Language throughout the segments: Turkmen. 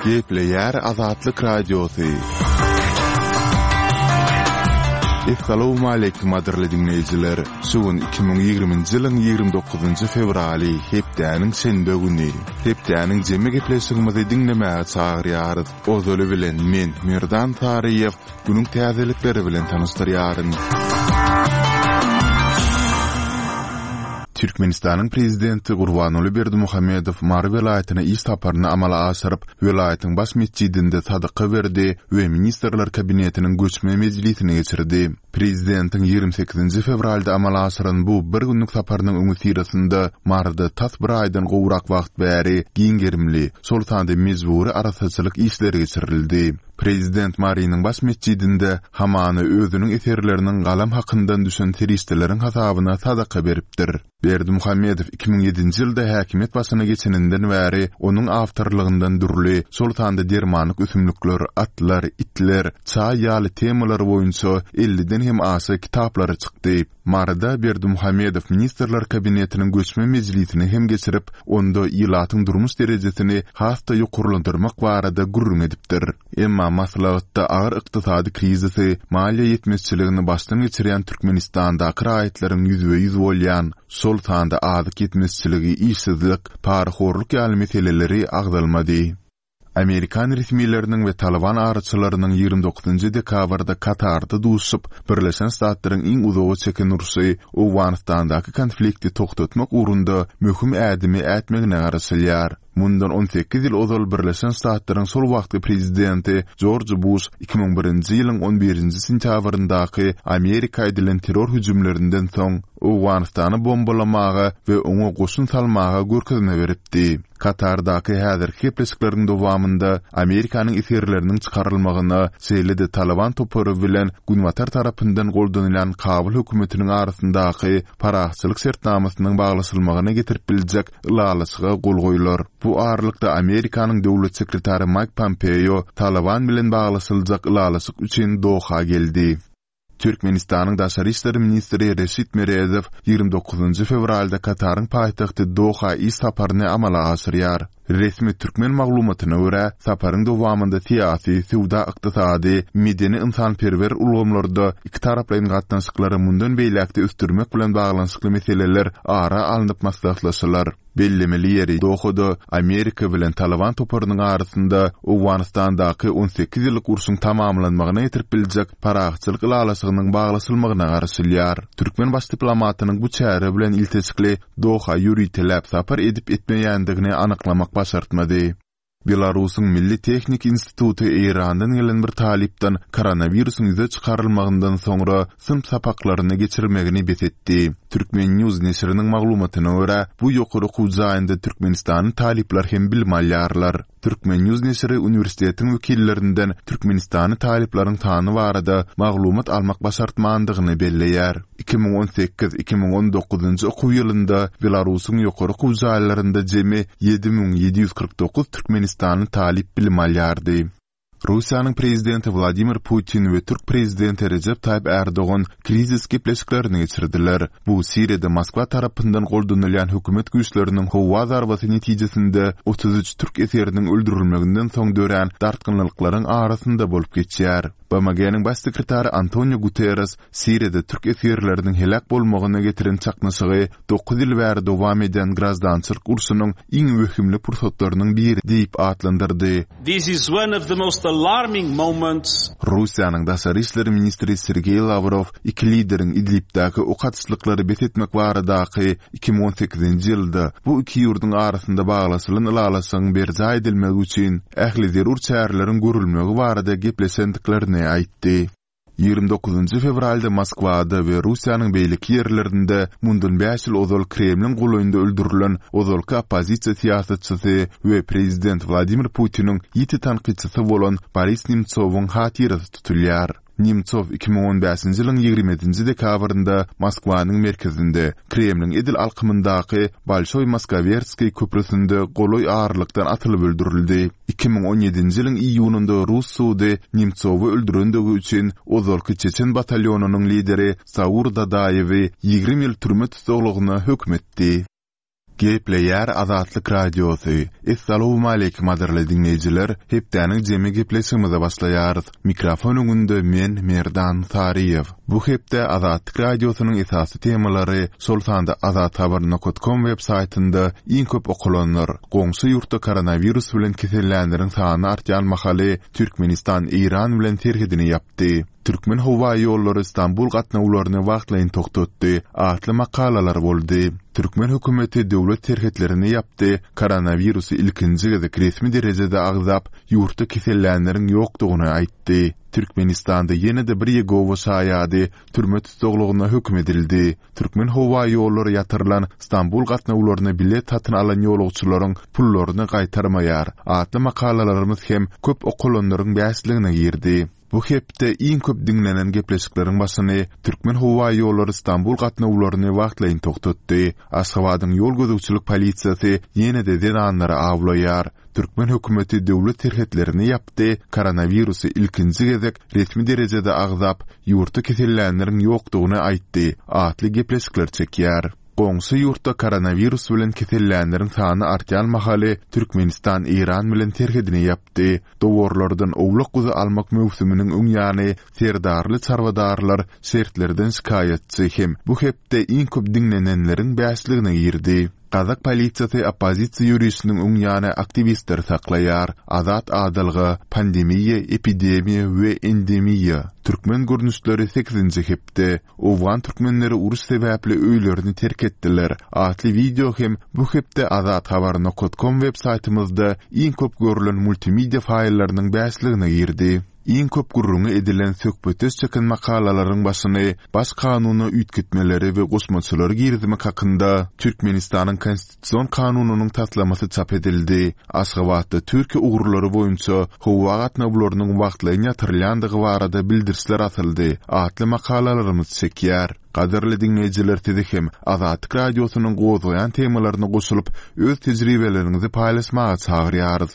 Gepleýär Azatlyk Radiosy. Essalawmaleýkim gadyrly diňleýjiler! Şu gün 2020-nji ýylyň 29-njy fewraly, hepdäniň şenbe güni. Hepdäniň jemi gepleşigimizi diňlemäge çagyrýarys. Ozaly bilen men, Merdan Saryýew, günüň täzelikleri bilen tanyşdyrýaryn. Türkmenistanyň Prezidenti Gurbanguly Berdimuhamedow Mary welaýatyna iş saparyny amala aşyryp, welaýatyň baş metjidinde sadaka berdi we Ministrler Kabinetiniň göçme mejlisini geçirdi. Prezidentiň 28-nji fewralda amala aşyran bu bir günlük saparynyň öňüsyrasynda Maryda tas bir aýdan gowrak wagt bäri giň gerimli, şol sanda mejbury arassaçylyk işleri geçirildi. Prezident Marynyň baş metjidinde hamana özüniň eserleriniň galam hakyndan düşen serişdeleriň hasabyna sadaka beripdir. Berdimuhamedow 2007-nji ýylda häkimiýet başyna geçeninden bäri onuň awtorlygyndan dürli, şol sanda dermanlyk ösümlikler, atlar, itler, çaý ýaly temalar boýunça elliden hem aşa kitaplary çykdy. Maryda Berdimuhamedow Ministrler Kabinetiniň göçme mejlisini hem geçirip, onda ilatyň durmuş derejesini has-da ýokarlandyrmak barada gürrüň edipdir. Emma maslahatda agyr ykdysady krizisi, maliýe ýetmezçiligini başdan geçirýän Türkmenistandaky raýatlaryň ýüzbe-ýüz bolýan, şol sanda azyk ýetmezçiligi, işsizlik, parahorluk ýaly meseleleri agzalmady. Amerikan resmileriniň we Talyban araçylarynyň 29-njy dekabrda Katarda duşup, Birleşen Ştatlaryň iň uzaga çeken urşy, Owganystandaky konflikti togtatmak ugrunda möhüm ädimi ätmegine garaşylýar. Mundan 18 ýyl ozal Birleşen Ştatlaryň şol wagtky prezidenti Jorj Buş 2001-nji ýylyň on birinji sentýabryndaky Amerika edilen terror hüjümlerinden soň Owganystany bombalamaga we oňa goşun salmaga görkezme beripdi. Katardaky häzirki gepleşikleriň dowamynda Amerikanyň esgerleriniň çykarylmagyna, şeýle-de Talyban topary bilen Günbatar tarapyndan goldanylýan Kabul hökümetiniň arasyndaky parahatçylyk şertnamasynyň baglaşylmagyna getirip biljek ylalaşyga gol goýlar. Bu aralykda Amerikanyň döwlet sekretary Maýk Pompeo Talyban bilen baglaşyljak ylalaşyk üçin Doha geldi. Türkmenistanyň daşary işler ministri Reşit Meredow 29-njy fewralda Kataryň paýtagty Doha iş saparyny amala aşyrýar. Resmi türkmen maglumatyna görä, saparyň dowamynda syýasy, söwda-ykdysady, medeni-ynsanperwer ulgamlarda ikitaraplaýyn gatnaşyklary mundan beýläk-de ösdürmek bilen baglanyşykly meseleler ara alnyp maslahatlaşylar. Bellemeli ýeri, Dohada Amerika bilen Talyban toparynyň arasynda Owganystandaky 18 ýyllyk urşuň tamamlanmagyna getirip biljek parahatçylyk ylalaşygynyň baglaşylmagyna garaşylýar. Türkmen baş diplomatynyň bu çäre bilen ilteşikli Doha ýöriteläp sapar edip-etmeýändigini anyklamak başartmady. Belarusyň Milli tehniki instituty Eýrandan gelen bir talypdan koronawirusyň ýüze çykarylmagyndan soňra synp sapaklaryny geçirmegini bes etdi. Turkmen. News neşiriniň maglumatyna görä, bu ýokary okuw jaýynda türkmenistanly talyplar hem bilim alýarlar. Turkmen. News neşiri uniwersitetiň wekillerinden türkmenistanly talyplaryň sany barada maglumat almak başartmandygyny belleýär. 2018, 2019-njy okuw ýylynda Belarusyň ýokary okuw jaýlarynda jemi 7749 türkmenistanly talyp bilim alýardy. Russiýanyň Prezidenti Wladimir Putin we türk Prezidenti Rejep Taýyp Ärdogan krizis gepleşiklerini geçirdiler. Bu Siriýada Moskwa tarapyndan goldanylýan hökümet güýçleriniň howa zarbasy netijesinde 33 türk esgeriniň öldürilmeginden soň dörän dartgynlylyklaryň arasynda bolup geçýär. BMG-niň Baş sekretary Antonio Guterres Siriýada türk esgerleriniň heläk bolmagyna getiren çaknyşygy dokuz ýyl bäri dowam edýän graždançylyk urşunyň iň wehimli pursatlarynyň biri diýip atlandyrdy. This is one of the most alarming moments. Russiýanyň daşary işler ministri Sergeý Lawrow iki lideriň Idlibdäki ok atyşlyklary bes etmek baradaky 2018-nji ýylda bu iki ýurduň arasynda baglaşylan ylalaşygyň berjaý edilmegi üçin ähli zerur çäreleriň görülmegi barada gepleşendiklerini aýtdy. 29-njy fewralda Moskwada we Russiýanyň beýleki ýerlerinde mundan bäş ýyl ozal Kremliň golaýynda öldürilen ozalky oppozisiýa syýasatçysy we prezident Wladimir Putiniň ýiti tankytçysy bolan Boris Nemtsowyň hatyrasy tutulýar. Nemtsow 2015-nji ýylyň 27-nji dekabrynda Moskwanyň merkezinde, Kremliň edil alkymyndaky Bolşoý Moskowerskiý köprüsinde golaý aralykdan atylyp öldürildi. 2017-nji ýylyň iýunynda rus sudy Nemtsowy öldürendigi üçin ozalky çeçen batalýonynyň lideri Saur Dadaýewi 20 ýyl türme tussaglygyna höküm etdi. Gepleýär Azatlyk Radiosy. Essalawmaleýkim gadyrly diňleýjiler! Hepdäniň jemi gepleşigimize başlaýarys. Mikrofon öňünde men Merdan Saryýew. Bu hepde Azatlyk Radiosynyň esasy temalary, şol sanda azathabar nokat kom web saýtynda iň köp okalanlar, goňşy ýurtda koronawirus bilen kesellänleriň sany artýan mahaly Türkmenistan Eýran bilen serhedini ýapdy. Türkmenhowaýollary Stambul gatnawlaryny wagtlaýyn togtatdy atly makalalar boldy. Türkmen hökümeti döwlet serhetlerini ýapdy, koronawirusy ilkinji gezek resmi derejede agzap, ýurtda kesellänleriň ýokdugyny aýtdy. Türkmenistanda ýene-de bir Ýegowa şaýady türme tussaglygyna höküm edildi. Türkmenhowaýollary ýatyrylan Stambul gatnawlaryna bilet satyn alan ýolagçylaryň pullaryny gaýtarmaýar atly makalalarymyz hem köp okalanlaryň bäşligine girdi. Bu hepde iň köp diňlenen gepleşikleriň başyny Türkmenhowaýollary Stambul gatnawlaryny wagtlaýyn togtatdy. Aşgabadyň ýol gözegçilik polisiýasy ýene-de zenanlary awlaýar. Türkmen hökümeti döwlet serhetlerini ýapdy, koronawirusy ilkinji gezek resmi derejede agzap, ýurtda kesellänleriň ýokdugyny aýtdy atly gepleşikler çekýär. Goňşy ýurtda koronawirus bilen kesellänleriň sany artýan mahaly Türkmenistan Eýran bilen serhedini ýapdy. Dowarlardan owlak-guzy almak möwsüminiň öň ýany serdarly çarwadarlar şertlerden şikaýatçy hem bu hepde iň köp diňlenenleriň bäşligine girdi. Gazak polisiýasy oppozisiýa ýörişiniň öň ýany aktiwistleri saklaýar. Azat adalga, pandemiýa, epidemiýa we endemiýa. Türkmen görnüşleri sekizinji hepde. Owgan türkmenleri uruş sebäpli öýlerini terk etdiler atly wideo hem bu hepde azathabar nokat kom web saýtymyzda iň köp görlen multimedia faýllarynyň bäşligine girdi. Iň köp gürrüňi edilen söhbetdeş çeken makalalaryň başyny Baş kanuna üýtgetmeleri we goşmaçalary girizmek hakynda Türkmenistanyň Konstitusion kanunynyň taslamasy çap edildi. Aşgabatda Türkiýe ugurlary boýunça howa gatnawlarynyň wagtlaýyn ýatyrylýandygy barada bildirişler asyldy atly makalalarymyz çekýär. Gadyrly diňleýjiler sizi hem Azatlyk Radiosynyň gozgaýan temalaryna goşulyp, öz tejribeleriňizi paýlaşmaga çagyrýarys.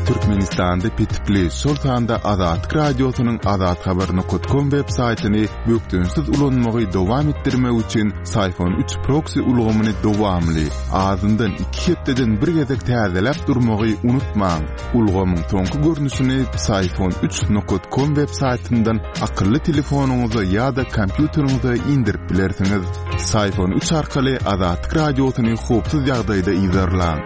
Türkmenistanda petikli, şol sanda Azatlyk Radiosynyň azathabar nokat kom web saýtyny bökdençsiz ulanmagy dowam etdirmek üçin Syphon 3 proksi ulgamyny dowamly, azyndan iki hepdeden bir gezek täzeläp durmagy unutmaň. Ulgamyň soňky görnüşini Syphon 3 nokat kom web saýtyndan akylly telefonyňyza ýa-da kompýuteriňize indirip bilersiňiz. Syphon 3 arkaly Azatlyk Radiosyny howpsuz ýagdaýda yzarlaň.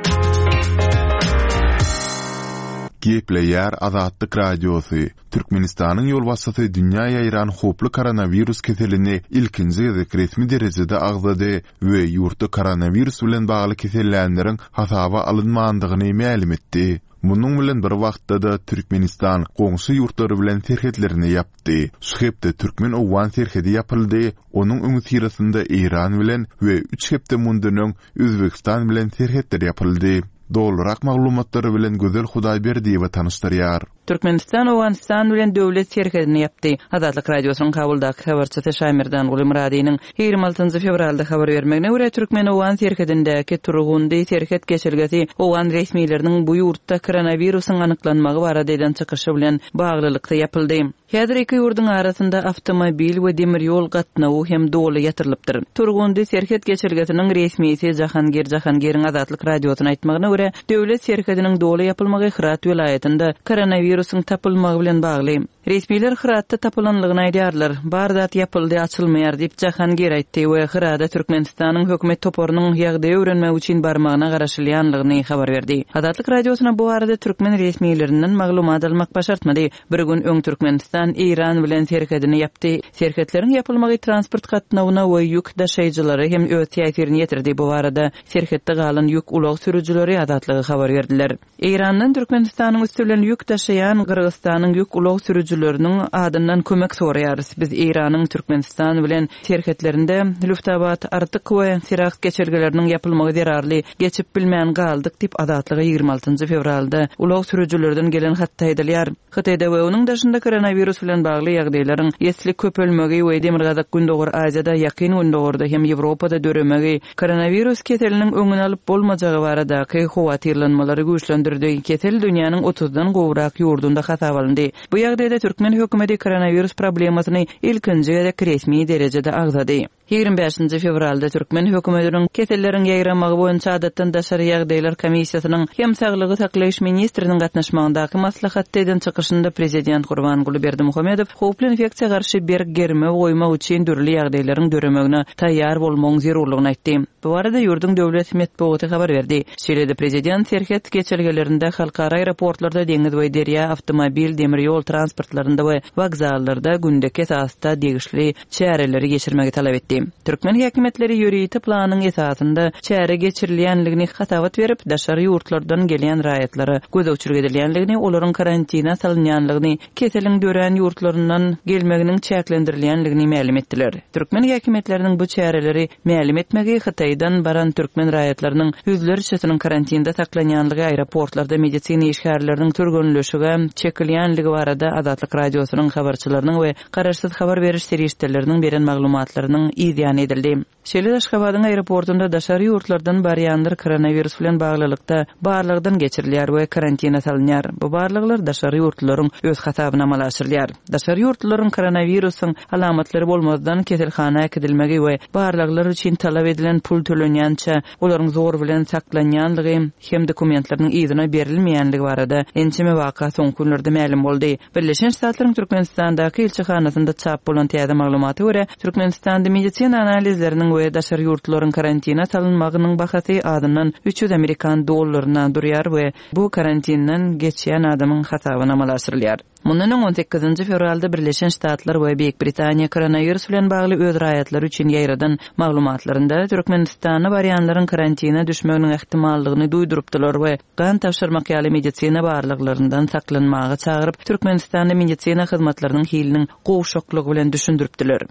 Gepleýär Azatlyk Radiosy, Türkmenistanyň ýolbaşçysy dünýä ýaýran howply koronawirus keselini ilkinji gezek resmi derejede agzady we ýurtda koronawirus bilen bagly kesellänleriň hasaba alynmandygyny mälim etdi. Munuň bilen bir wagtda-da Türkmenistan goňşy ýurtlar bilen serhetlerini ýapdy. Şu hepde türkmen-owgan serhedi ýapyldy, onuň öňüsyrasynda Eýran bilen we üç hepde mundan öň Özbegistan bilen serhetler ýapyldy. Dolurak maglumatlary bilen Gözel Hudaýberdiýewa tanyşdyrýar. Türkmenistan Owganystan bilen döwlet serhedini ýapdy. Azatlyk Radiosynyň Kabuldaky habarçysy Şamerdan Gulymyradynyň 26 fewralda habar bermegine görä, türkmen-owgan serhedindäki Turgundy serhet geçelgesi owgan resmileriniň bu ýurtda koronawirusyň anyklanmagy barada eden çykyşy bilen baglylykda ýapyldy. Häzir iki ýurduň arasynda awtomobil we demir ýol gatnawy hem doly ýatyrylypdyr. Turgundy serhet geçelgesiniň resmisi Jahangir Jahangiriň Azatlyk Radiosyna aýtmagyna görä, döwlet serhediniň doly ýapylmagy Hyrat welaýatynda koronawirusyň tapylmagy bilen bagly. Resmiler Hyratda tapylanlygyny aýdýarlar. Bar zat ýapyldy, açylmaýar diýip, Jahangir aýtdy we Hyrada Türkmenistanyň hökümet toparynyň ýagdaýy öwrenmek üçin barmagyna garaşylýanlygyny habar berdi. Azatlyk Radiosyna bu barada türkmen resmilerinden maglumat almak başartmady. Bir gün öň Türkmenistan Eýran bilen serhedini ýapdy. Serhetleriň ýapylmagy transport gatnawyna we ýük daşaýjylara hem öz täsirini ýetirdi. Bu barada serhetde galan ýük ulag sürüjileri Azatlyga habar berdiler. Eýrandan Türkmenistanyň üsti bilen ýük daşaýan Gyrgyzystanyň ýük ulag sürüjileriniň adyndan kömek soraýarys. Biz Eýranyň Türkmenistan bilen serhetlerinde Lüftabat, Artyk we Siraks geçelgeleriniň ýapylmagy zerarly geçip bilmän galdyk diýip, Azatlyga 26 fewralda ulag sürüjilerden gelen hatda aýdylýar. Hytaýda we onuň daşynda koronawirus bilen bagly ýagdaýlaryň esli köpelmegi we Demirgazyk-Gündogar Aziýada, Ýakyn Gündogarda hem Ýewropada döremegi koronawirus keseliniň öňüni alyp bolmajagy baradaky howatyrlanmalary güýçlendirdi. Kesel dünýäniň otuzdan gowrak ýurdunda hasaba alyndy. Bu ýagdaýda türkmen hökümeti koronawirus problemasyny ilkinji gezek resmi derejede agzady. 25-nji fewralda türkmen hökümetiniň Keselleriň ýaýramagy boýunça adatdan daşary ýagdaýlar komissiýasynyň hem saglygy saklaýyş ministriniň gatnaşmagyndaky maslahatda eden çykyşynda prezident Gurbanguly Berdimuhamedow howply infeksiýa garşy berk germew goýmak üçin dürli ýagdaýlaryň döremegine taýýar bolmagyň zerurlygyny aýtdy. Bu barada ýurduň döwlet metbugaty habar berdi. Şeýle-de prezident serhet geçelgelerinde, halkara aeroportlarda, deňiz we derýa, awtomobil, demir ýol transportlarynda we wokzallarda gündeki esasda degişli çäreleri geçirmegi talap etdi. Türkmen häkimiýetleri ýörite planyň esasynda çäre geçirilýänligini hasabat berip, daşary ýurtlardan gelýän raýatlara gözegçilik edilýänligini, olaryň karantine salynýanlygyny, keseliň dörän ýurtlaryndan gelmeginiň çäklendirilýänligini mälim etdiler. Türkmen häkimiýetleriniň bu çäreleri mälim etmegi Hytaýdan baran türkmen raýatlarynyň ýüzlerçesiniň karantinde saklanýanlygy, aeroportlarda medisina işgärleriniň türgenleşige çekilýänligi barada Azatlyk Radiosynyň habarçylarynyň we Garaşsyz habar beriş serişdeleriniň beren maglumatlarynyň yz ýany edildi. Şeýle-de Aşgabadyň aeroportunda daşary ýurtlardan barýanlar koronawirus bilen baglylykda barlagdan geçirilýär we karantine salynýar. Bu barlaglar daşary ýurtlularyň öz hasabyna amala aşyrylýar. Daşary ýurtlularyň koronawirusyň alamatlary bolmazdan keselhana äkidilmegi we barlaglar üçin talap edilen pul tölenýänçä olaryň zor bilen saklanýanlygy hem dokumentleriniň yzyna berilmeýänligi barada ençeme waka soňky günlerde mälim boldy. Birleşen Ştatlaryň Türkmenistandaky ilçihanasynda çap bolan täze maglumata görä, Türkmenistanda medisina analizleriniň we daşary ýurtlularyň karantine salynmagynyň bahasy azyndan 300 amerikan dollaryna durýar we bu karantinden geçýän adamyň hasabyna amala aşyrylýar. Mundan öň, on sekizinji fewralda Birleşen Ştatlar we Beýik Britaniýa koronawirus bilen bagly öz raýatlary üçin ýaýradan maglumatlarynda Türkmenistana barýanlaryň karantine düşmeginiň ähtimallygyny duýdurypdylar we gan tabşyrmak ýaly medisina barlaglaryndan saklanmaga çagyryp, Türkmenistanda medisina hyzmatlarynyň hiliniň gowşaklygy bilen düşündiripdiler.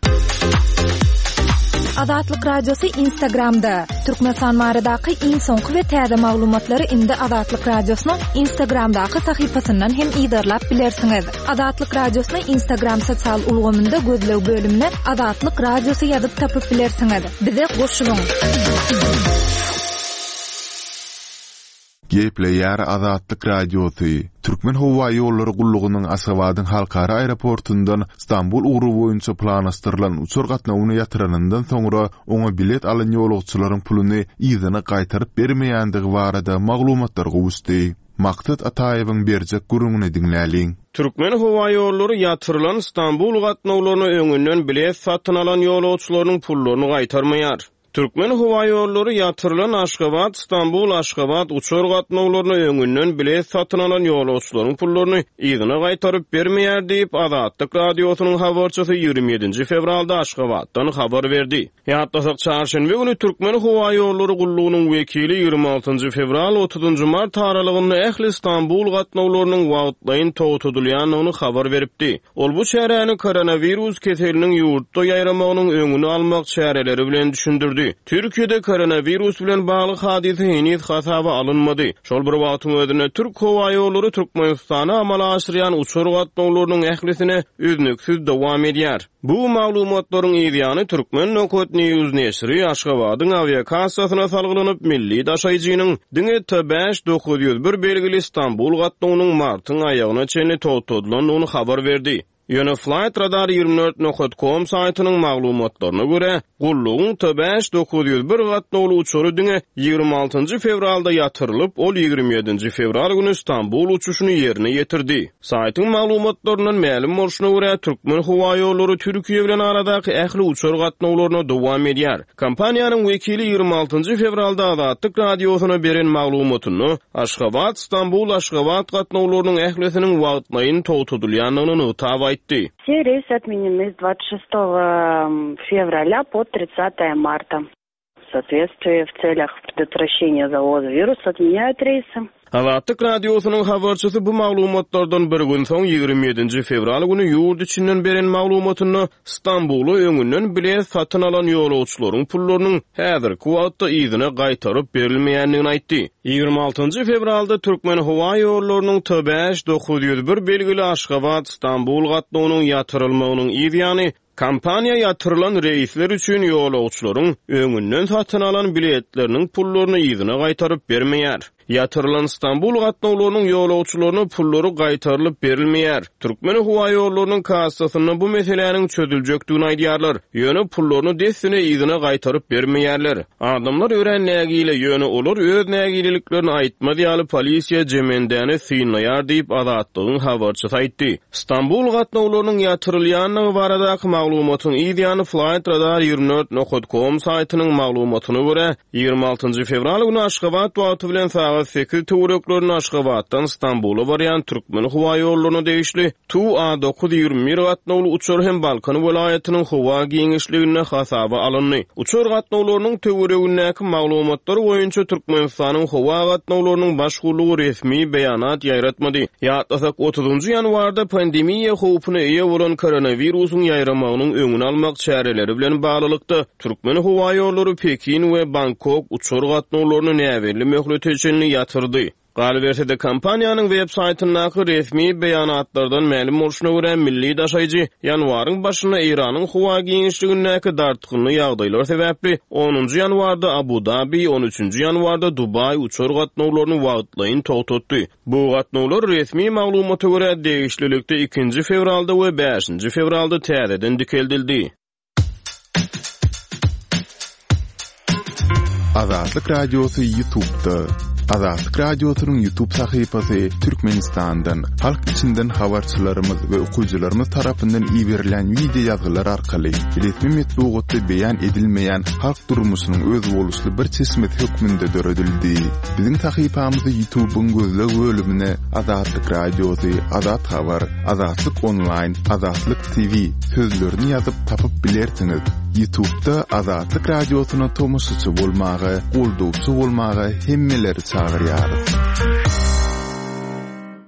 Azatlyk Radiosy Instagramda, Türkmenistan baradaky iň soňky we täze maglumatlary indi Azatlyk Radiosynyň Instagramdaky sahypasyndan hem yzarlap bilersiňiz. Azatlyk Radiosyny Instagram sosial ulgamynda gözleg bölümine Azatlyk Radiosy ýazyp tapyp bilersiňiz. Bize goşulyň! Gepleýär Azatlyk Radiosy, Türkmenhowaýollary gullugynyň Aşgabadyň halkara aeroportundan Stambul ugry boýunça planlaşdyrylan uçar gatnawyny ýatyranyndan soňra oňa bilet alan ýolagçylaryň puluny yzyna gaýtaryp bermeýändigi barada maglumatlar gowuşdy. Maksat Ataýewiň berjek gürrüňini diňläliň. Türkmenhowaýollary ýatyrylan Stambul gatnawlaryna öňünden bilet satyn alan ýolagçylarynyň pullaryny gaýtarmaýar. Türkmenhowaýollary ýatyrylan Aşgabat, Stambul, Aşgabat uçar gatnawlaryna öňünden bilet satyn alan ýolagçylaryň pullaryny yzyna gaýtaryp bermeýär diýip, Azatlyk Radiosynyň habarçysy 27-nji fewralda Aşgabatdan habar berdi. Ýatlasak, çarşenbe güni Türkmenhowaýollary gullugynyň wekili 26-njy fewral, otuzynjy mart aralygynda ähli Stambul gatnawlarynyň wagtlaýyn togtadylýandygyny habar beripdi. Ol bu çäräni koronawirus keseliniň ýurtda ýaýramagynyň öňüni almak çäreleri bilen düşündirdi. Türkiýede koronawirus bilen bagly hadysa heniz hasaba alynmady. Şol bir wagtyň özünde, Türk howaýollary Türkmenistana amala aşyrýan uçar gatnawlarynyň ählisine üznüksiz dowam edýär. Bu maglumatlaryň yzýany Turkmen. News neşiri Aşgabadyň awiakassasyna salgylanyp, milli daşaýjynyň diňe T 5901 belgili Stambul gatnawynyň martyň aýagyna çenli togtadylandygyny habar berdi. Ýöne Flightradar 24 nokat com saýtynyň maglumatlaryna görä, gullugyň T 5901 gatnawly uçary diňe 26-njy fewralda ýatyrylyp, ol 27-nji fewral güni Stambul uçuşyny ýerine ýetirdi. Saýtyň maglumatlaryndan mälim bolşuna görä, Türkmenhowaýollary Türkiýe bilen aradaky ähli uçar gatnawlaryna dowam edýär. Kompaniýanyň wekili 26 njy fewralda Azatlyk Radiosyna beren maglumatynda, Aşgabat, Stambul, Aşgabat gatnawlarynyň ählisiniň wagtlaýyn togtadylýandygyny nygtap aýtdy. Все рейсы отменены с 26 февраля по 30 марта. В соответствии в целях предотвращения завоза вируса отменяют рейсы. Azatlyk Radiosynyň habarçysy bu maglumatlardan bir gün soň, 27-nji fewral güni ýurt içinden beren maglumatynda Stambula öňünden bilet satyn alan ýolagçylaryň pullarynyň häzirki wagtda yzyna gaýtaryp berilmeýändigini aýtdy. 26-njy fewralda Türkmenhowaýollarynyň T 5901 belgili Aşgabat, Stambul gatnawynyň ýatyrylmagynyň yz ýany, Kompaniýa ýatyrylan reýsler üçin ýolagçylaryň öňünden satyn alan biletleriniň pullaryny yzyna gaýtaryp bermeýär. Ýatyrylan Stambul gatnawlarynyň ýolagçylaryna pullary gaýtarylyp berilmeýär. Türkmenhowaýollarynyň kassasynda bu meseläniň çözüljekdigini aýdýarlar. Ýöne pullaryny dessine yzyna gaýtaryp bermeýärler. Adamlar örän nägile, ýöne olar öz nägileliklerini aýtmaz ýaly polisiýa jemendäni synlaýar diýip, Azatlygyň habarçysy aýtdy. Stambul gatnawlarynyň ýatyrylýandygy baradaky maglumatyň yz ýany Flightradar 24 nokat kom saýtynyň maglumatyna görä, 26 fewral güni Aşgabat wagty bilen sagat sekiz töwereklerinde Aşgabatdan Stambula barýan Türkmenhowaýollaryna degişli Tu A 921 gatnawly uçar hem Balkan welaýatynyň howa giňişliginde hasaba alyndy. Uçar gatnawlarynyň töweregindäki maglumatlar boýunça Türkmenistanyň howa gatnawlarynyň baş gullugy resmi beýanat ýaýratmady. Ýatlasak, otuzynjy ýanwarda pandemiýa howpuna eýe bolan koronawirusyň ýaýramagynyň öňüni almak çäreleri bilen baglylykda, Türkmenhowaýollary Pekin we Bangkok uçar gatnawlaryny näbelli möhlete çenli ýatyrdy. Galyberse-de, kompaniýanyň web saýtyndaky resmi beýanatlardan mälim bolşuna görä, milli daşaýjy ýanwaryň başynda Eýranyň howa giňişligindäki dartgynly ýagdaýlar sebäpli onunjy ýanwarda Abu-Dabi, on üçünji ýanwarda Dubaý uçar gatnawlaryny wagtlaýyn togtatdy. Bu gatnawlar, resmi maglumata görä, degişlilikde ikinji fewralda we bäşinji fewralda täzeden dikeldildi. Azatlyk Radiosy YouTube'da. Azatlyk Radiosynyň YouTube sahypasy Türkmenistandan, halk içinden habarçylarymyz we okyjylarymyz tarapyndan iberilen wideo ýazgylar arkaly resmi metbugatda beýan edilmeýän halk durmuşynyň özboluşly bir çeşmesi hökmünde döredildi. Biziň sahypamyzy YouTube'yň gözleg bölümine Azatlyk Radiosy, Azat Habar, Azatlyk Onlaýn, Azatlyk TV sözlerini ýazyp tapyp bilersiňiz. Ýutubda Azatlyk Radiosyna tomaşaçy bolmaga, goldawçy bolmaga hemmeleri çagyrýarys.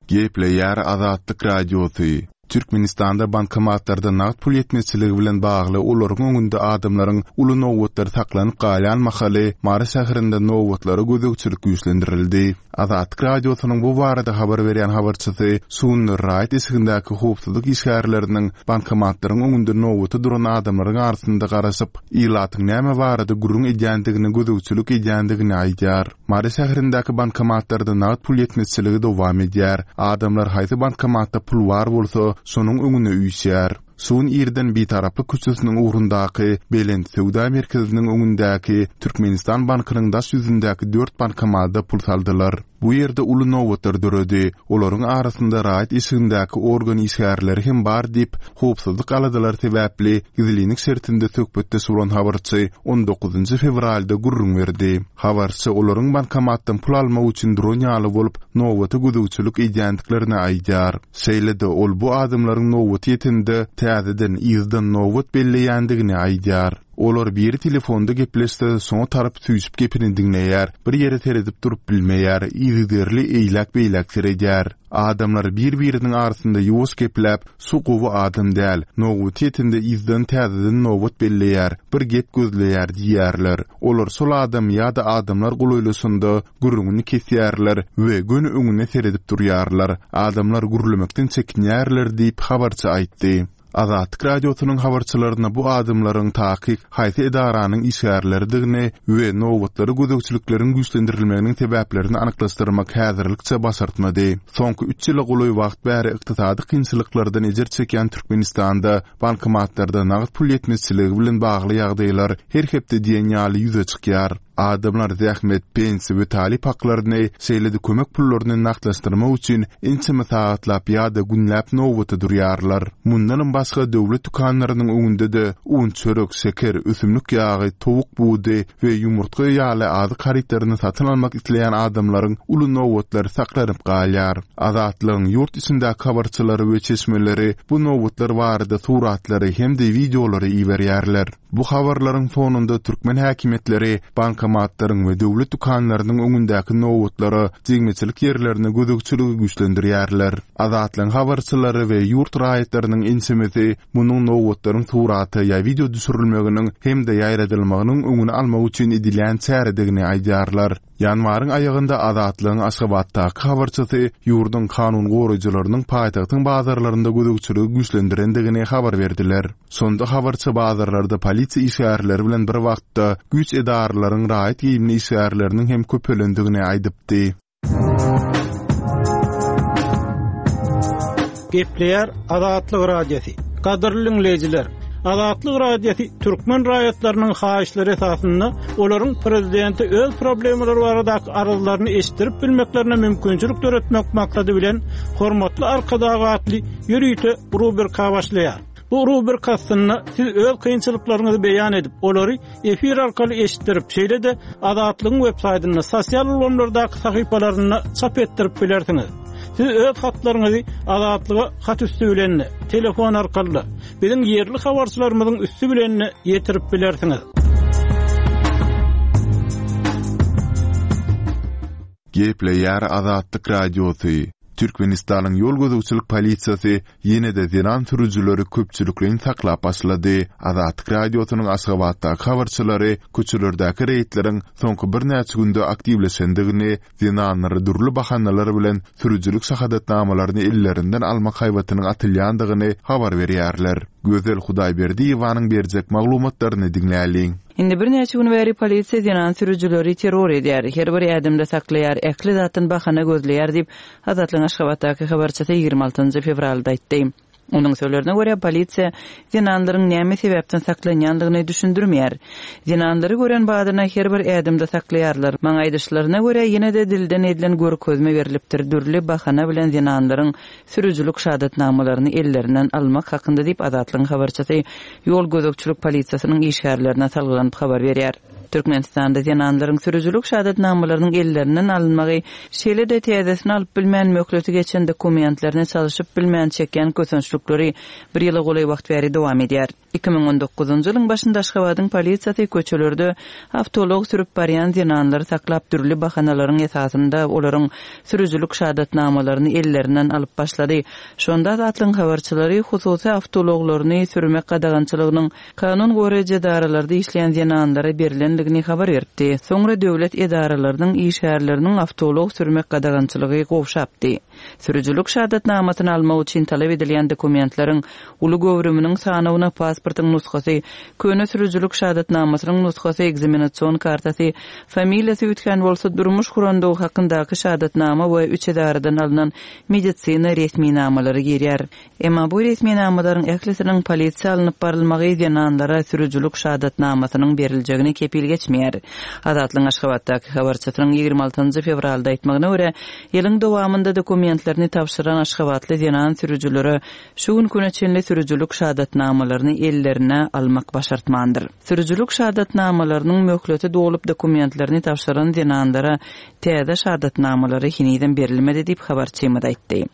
Gepleýär Azatlyk Radiosy. Türkmenistanda bankomatlarda nagt pul ýetmezçiligi bilen bagly olaryň öňünde adamlaryň uly nobatlary saklanyp galýan mahaly Mary şäherinde nobatlara gözegçilik güýçlendirildi. Azatlyk Radiosynyň bu barada habar berýän habarçysy şu günler raýat eşigindäki howpsuzlyk işgärleriniň bankomatlaryň öňünde nobata duran adamlaryň arasynda garaşyp, ilatyň näme barada gürrüň edýändigine gözegçilik edýändigini aýdýar. Mary şäherindäki bankomatlarda nagt pul ýetmezçiligi dowam edýär. Adamlar haýsy bankomatda pul bar bolsa, şonuň öňüne üýşýär. Şu gün irden Bitaraplyk köçesiniň ugrundaky Belent söwda merkeziniň öňündäki Türkmenistan bankynyň daş ýüzündäki dört bankomada pul saldylar. Bu ýerde uly nobatlar döredi. Olaryň arasynda raýat eşigindäki organ işgärleri hem bar diýip, howpsuzlyk aladalary sebäpli gizlinlik şertinde söhbetdeş bolan habarçy on dokuzynjy fewralda gürrüň berdi. Habarçy olaryň bankomatdan pul almak üçin duran ýaly bolup, nobata gözegçilik edýändiklerini aýdýar. Şeýle-de, ol bu adamlaryň nobaty ýetende, täzeden yzdan nobat belleýändigini aýdýar. Olar biri telefonda gepleşse, şoňa tarap süýşüp gepini diňleýär, bir ýere seredip durup bilmeýär, yzygiderli eýläk-beýläk seredýär. Adamlar bir-biriniň arasynda ýuwaş gepläp, Şu gowy adam däl, nobaty ýetende yzdan täzeden nobat belleýär, bir gep gözleýär diýýärler. Olar şol adam ýa-da adamlar golaýlaşanda, gürrüňini kesýärler we göni öňüne seredip durýarlar. Adamlar gürlemekden çekinýärler diýip, habarçy aýtdy. Azatlyk Radiosynyň habarçylaryna bu adamlaryň takyk haýsy edaranyň işgärleridigini we nobatlara gözegçilikleriň güýçlendirilmeginiň sebäplerini anyklaşdyrmak häzirlikçe başartmady. Soňky üç ýyla golaý wagt bäri ykdysady kynçylyklardan ejir çekýän Türkmenistanda bankomatlarda nagt pul ýetmezçiligi bilen bagly ýagdaýlar her hepde diýen ýaly ýüze çykýar. Adamlar zähmet, pensiýa we talyp haklaryny, şeýle-de kömek pullaryny nagtlaşdyrmak üçin ençeme sagatlap ýa-da günläp nobata durýarlar. Mundanam başga döwlet dükanlarynyň öňünde-de un, çörek, şeker, ösümlik ýagy, towuk budy we ýumurtga ýaly azyk harytlaryny satyn almak isleýän adamlaryň uly nobatlary saklanyp galýar. Azatlygyň ýurt içindäki habarçylary we çeşmeleri bu nobatlar barada suratlary hem-de wideolary iberýärler. Bu habarlaryň fonunda türkmen häkimiýetleri bankomatlaryň we döwlet dükanlarynyň öňündäki nobatlara, jigmeçilik ýerlerine gözegçiligi güýçlendirýärler. Azatlygyň habarçylary we ýurt raýatlarynyň ençemesi munuň nobatlaryň surata ýa wideo düşürilmeginiň hem-de ýaýradylmagynyň öňüni almak üçin edilýän çäredigini aýdýarlar. Ýanwaryň aýagynda Azatlygyň Aşgabatdaky habarçysy ýurduň kanun goraýjylarynyň paýtagtyň bazarlarynda gözegçiligi güýçlendirendigini habar berdiler. Şonda habarçy bazarlarda polisiýa işgärleri bilen bir wagtda güýç edaralaryň raýat geýimli işgärleriniň hem köpelendigini aýdypdy. Gepleýär Azatlyk Radiosy. Gadyrly diňleýjiler! Azatlyk Radiosy türkmen raýatlarynyň haýyşlary esasynda olaryň prezidente öz problemalary baradaky arzlaryny eşitdirip bilmeklerine mümkinçilik döretmek maksady bilen Hormatly Arkadag atly ýörite rubrika başlaýar. Bu rubrika astynda siz öz kynçylyklaryňyzy beýan edip, olary efir arkaly eşitdirip, şeýle-de Azatlygyň websaýtynda, sosial ulgamlardaky sahypalarynda çap etdirip bilersiňiz. Siz öz hatlaryňyzy Azatlyga hat üsti bilen-de, telefon arkaly-da, biziň ýerli habarçylarymyzyň üsti bilen-de ýetirip bilersiňiz. Gepleýär Azatlyk Radiosy, Türkmenistanyň ýol gözegçilik polisiýasy ýene-de zenan sürüjileri köpçülikleýin saklap başlady. Azatlyk Radiosynyň Aşgabatdaky habarçylary köçelerdäki reýdleriň soňky birnäçe günde aktiwleşendigini, zenanlara dürli bahanalar bilen sürüjilik şahadatnamalaryny ellerinden almak haýbatynyň atylýandygyny habar berýärler. Gözel Hudaýberdiýewanyň berjek maglumatlaryny diňläliň. Indi birnäçe gün bäri polisiýa zenan sürüjileri terror edýär, her bir ädimde saklaýar, ähli zatdan bahana gözleýär diýip, Azatlygyň Aşgabatdaky habarçysy 26 nji fewralda aýtdy. Onuň sözlerine görä, polisiýa zenanlaryň näme sebäpden saklanýandygyny düşündirmeýär. Zenanlary gören badyna her bir ädimde saklaýarlar. Maňa aýdyşlaryna görä, ýene-de dilden edilen görkezme berlipdir, dürli bahana bilen zenanlaryň sürüjilik şahadatnamalaryny ellerinden almak hakynda diýip, Azatlygyň habarçysy ýol gözegçilik polisiýasynyň işgärlerine salgylanyp habar berýär. Türkmenistanda zenanlaryň sürüjilik şahadatnamalarynyň ellerinden alynmagy, şeýle-de täzesini alyp bilmän möhleti geçen dokumentlerini çalşyp bilmän çekýän kösençlikleri bir ýyla golaý wagt bäri dowam edýär. 2019-njy ýylyň başynda Aşgabadyň polisiýasy köçelerde awtoulag sürüp barýan zenanlary saklap, dürli bahanalaryň esasynda olaryň sürüjilik şahadatnamalaryny ellerinden alyp başlady. Şonda Azatlygyň habarçylary hususy awtoulaglaryny sürmek gadagançylygynyň kanun goraýjy edaralarda işleýän zenanlara berlendigini habar beripdi. Soňra döwlet edaralarynyň işgärleriniň awtoulag sürmek gadagançylygy gowşapdy. Sürüjilik şahadatnamasyny almak üçin talap edilýän dokumentleriň uly göwrüminiň sanawyna pasportyň nusgasy, köne sürüjilik şahadatnamasynyň nusgasy, ekzamenasion kartasy, familiýasy üýtgän bolsa, durmuş gurandygy hakyndaky şahadatnama we üç edaradan alnan medisina resminamalary girýär. Emma bu resminamalaryň ählisiniň polisiýa alnyp barylmagy zenanlara sürüjilik şahadatnamasynyň beriljegine kepil geçmeýär. Azatlygyň Aşgabatdaky habarçysynyň 26 fewralda aýtmagyna görä, ýylyň dowamynda dokumentlerini tabşyran aşgabatly zenan sürüjilere şu günki güne çenli sürüjilik şahadatnamalaryny ellerine almak başartmandyr. Sürüjilik şahadatnamalarynyň möhleti dolup dokumentlerini tabşyran zenanlara täze şahadatnamalary henizem berilmedi diýip, habarçymyz aýtdy.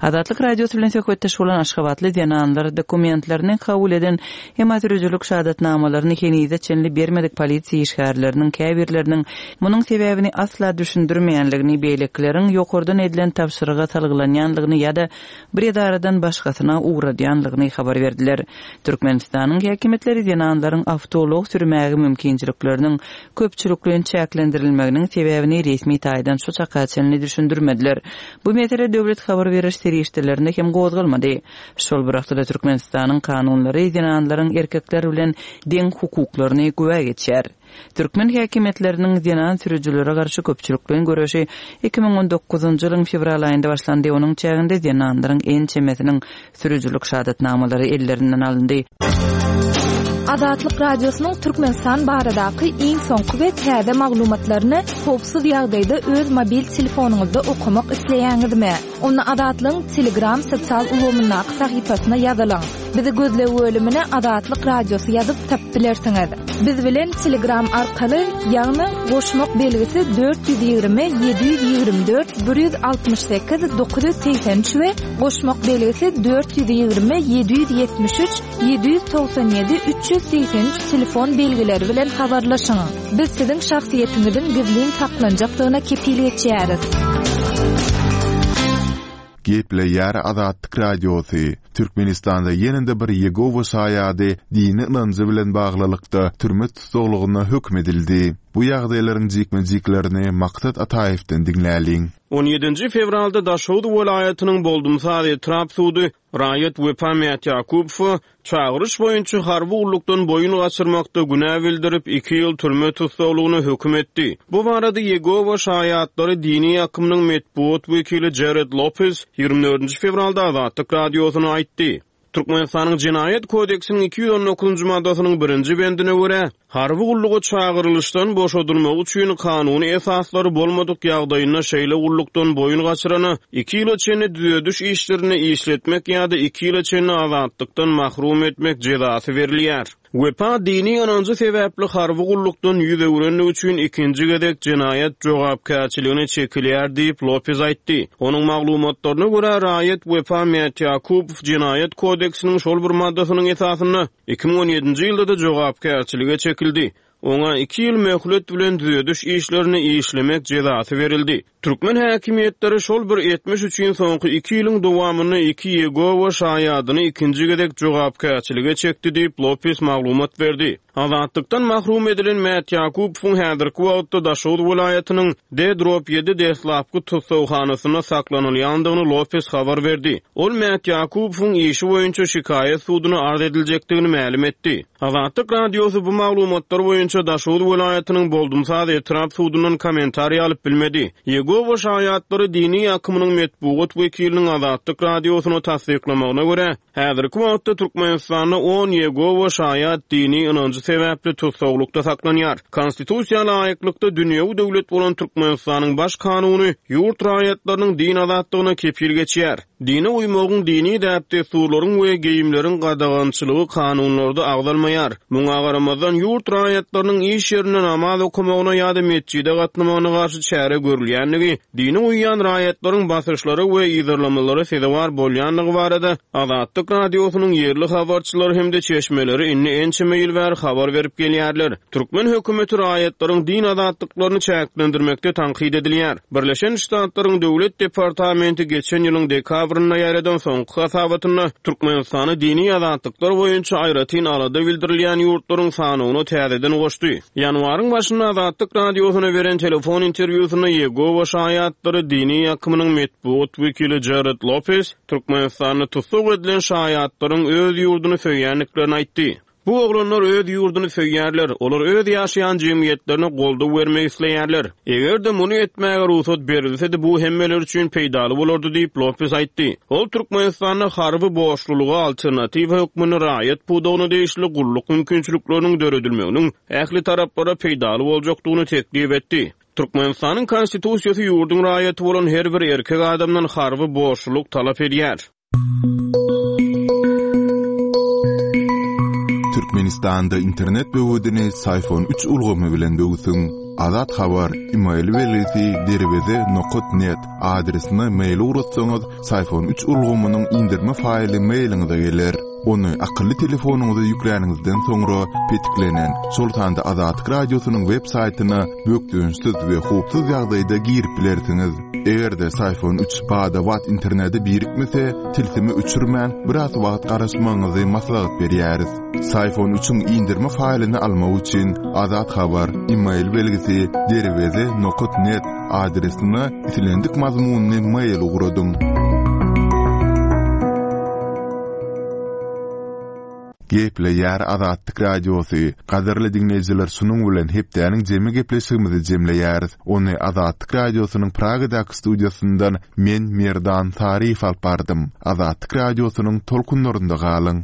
Azatlyk Radiosy bilen söhbetdeş bolan aşgabatly zenanlar dokumentlerini kabul eden, emma sürüjilik şahadatnamalaryny henize çenli bermedik polisiýa işgärleriniň käbirleriniň munuň sebäbini asla düşündirmeýänligini, beýlekileriň ýokardan edilen tabşyryga salgylanýanlygyny ýa-da bir edaradan başgasyna ugradýanlygyny habar berdiler. Türkmenistanyň häkimiýetleri zenanlaryň awtoulag sürmäge mümkinçilikleriniň köpçülikleýin çäklendirilmeginiň sebäbini resmi taýdan şu çaka çenli düşündirmediler. Bu mesele döwlet habar beriş serişdelerinde hem gozgalmady. Şol bir wagtda-da Türkmenistanyň kanunlary zenanlaryň erkekler bilen deň hukuklaryny güwä geçýär. Türkmen häkimiýetleriniň zenan sürüjilere garşy köpçülikleýin göreşi 2019-njy ýylyň fewral aýynda başlandy, onuň çäginde zenanlaryň ençemesiniň sürüjilik şahadatnamalary ellerinden alyndy. Azatlyk Radiosynyň Türkmenistan baradaky iň soňky we täze maglumatlaryny howpsuz ýagdaýda öz mobil telefonyňyzda okamak isleýäňizmi? Onda Azatlygyň Telegram sosial ulgamyndaky sahypasyna ýazylyň. Bizi gözleg bölümine Azatlyk Radiosy ýazyp tapyp bilersiňiz. Biz bilen Telegram arkaly, ýagny goşmak belgisi 420 724 168 983 we goşmak belgisi 420 773 797 383 telefon belgileri bilen habarlaşyň. Biz siziň şahsyýetiňiziň gizlin saklanjakdygyna kepil geçýäris. Gepleýär Azatlyk Radiosy, Türkmenistanda ýene-de bir Ýegowa şaýady dini ynanjy bilen baglylykda türme tussaglygyna höküm edildi. Bu ýagdaýlaryň jikme-jiklerini Maksat Ataýewden diňläliň. On ýedinji fewralda Daşoguz welaýatynyň Boldumsaz etrap sudy raýat Wepa Mätýakubowa çagyryş boýunça harby gullukdan boýun gaçyrmakda günä bildirip, iki ýyl türme tussaglygyna höküm etdi. Bu barada Ýegowa şaýatlary dini akymynyň metbugat wekili Jared Lopez ýigrimi dördünji fewralda Azatlyk Radiosyna aýtdy. Türkmenistanyň Jenaýat kodeksiniň 219-njy maddasynyň birinji bendine görä, harby gulluga çagyrylyşdan boşadylmagy üçin kanuny esaslary bolmadyk ýagdaýynda şeýle gullukdan boýun gaçyrana iki ýyla çenli düzediş işlerinde işletmek ýa-da iki ýyla çenli azatlykdan mahrum etmek jezasy berilýär. Wepa dini ynanjy sebäpli harby gullukdan ýüz öwrendigi üçin ikinji gezek jenaýat jogapkärçiligine çekilýär diýip, Lopez aýtdy. Onuň maglumatlaryna görä, raýat Wepa Mätýakubow Jenaýat kodeksiniň şol bir maddasynyň esasynda 2017-nji ýylda-da jogapkärçilige çekildi. Oňa iki ýyl möhlet bilen düzediş işlerinde işlemek jezasy berildi. Türkmen häkimiýetleri şol bir etmiş üçin soňky iki ýylyň dowamynda iki Ýegowa şaýadyny ikinji gezek jogapkärçilige çekdi diýip, Lopes maglumat berdi. Azatlykdan mahrum edilen Mätýakubowyň häzirki wagtda Daşoguz welaýatynyň D-ýedi deslapky tussaghanasynda saklanylýandygyny Lopes habar berdi. Ol Mätýakubowyň işi boýunça şikaýat suduna arz ediljekdigini mälim etdi. Azatlyk Radiosy bu maglumatlar boýunça Daşoguz welaýatynyň Boldumsaz etrap sudundan kommentariý alyp bilmedi. Ýegowa şaýatlary dini akymynyň metbugat wekiliniň Azatlyk Radiosyna tassyklamagyna görä, häzirki wagtda Türkmenistanda on Ýegowa şaýat dini ynanjy sebäpli tussaglykda saklanýar. Konstitusiýa laýyklykda dünýewi döwlet bolan Türkmenistanyň Baş kanuny ýurt raýatlarynyň din azatlygyna kepil geçýär. Dine uýmagyň, dini däp-dessurlaryň we geýimleriň gadagançylygy kanunlarda agzalmaýar. Muňa garamazdan, ýurt raýatlarynyň iş ýerinde namaz okamagyna ýa-da metjide gatnamagyna garşy çäre görülýändigi, dine uýýan raýatlaryň basyşlara we yzarlamalara sezewar bolýandygy barada Azatlyk Radiosynyň ýerli habarçylary hem-de çeşmeleri indi ençeme ýyl bäri habar berip gelýärler. Türkmen hökümeti raýatlaryň din azatlyklaryny çäklendirmekde tankyt edilýär. Birleşen Ştatlaryň Döwlet departamenti geçen ýylyň dekabrynda ýaýradan soňky hasabatynda Türkmenistany dini azatlyklar boýunça aýratyn alada bildirilýän ýurtlaryň sanawyna täzeden goşdy. Ýanwaryň başynda Azatlyk Radiosyna beren telefon interwýusynda Ýegowa şaýatlary dini akymynyň metbugat wekili Jared Lopes Türkmenistanda tussag edilen şaýatlaryň öz ýurduny söýýändiklerini aýtdy. Bu oglanlar öz ýurduny söýýärler, olar öz ýaşaýan jemgyýetlerine goldaw bermek isleýärler. Eger-de muny etmäge rugsat berilsedi, bu hemmeler üçin peýdaly bolardy diýip, Lopes aýtdy. Ol Türkmenistanda harby borçlulyga alternatiwa hökmünde raýat pudagyna degişli gulluk mümkinçilikleriniň döredilmeginiň ähli taraplara peýdaly boljakdygyny teklip etdi. Türkmenistanyň Konstitusiýasy ýurduň raýaty bolan her bir erkek adamdan harby borçlulyk talap edýär. Türkmenistanda internet böwedini Syfon üç ulgamy bilen böwsüň. Azat Habar, email belgisi derweze nokat net adresine mail ugratsaňyz, Syfon üç ulgamynyň indirme faýly mailiňize geler. Ony akylly telefonyňyza ýükläniňizden soňra petiklenen, şol sanda Azatlyk Radiosynyň web saýtyna bökdençsiz we howpsuz ýagdaýda girip bilersiňiz. Eger-de Syfon üç bada-bat internete birikmese, tilsimi öçürmän, biraz wagt garaşmagyňyzy maslahat berýäris. Syfon üçiň indirme faýlyny almak üçin Azat Habar, email belgisi, derweze nokat net adresine islendik mazmunly mail ugradyň. Gepleýär Azatlyk Radiosy, Gadyrly diňleýjiler şunuň bilen hepdäniň jemi gepleşigimizi jemleýäris. Ony Azatlyk Radiosynyň Pragadaky studiýasyndan men Merdan Saryýew alyp bardym. Azatlyk Radiosynyň tolkunlarynda galyň.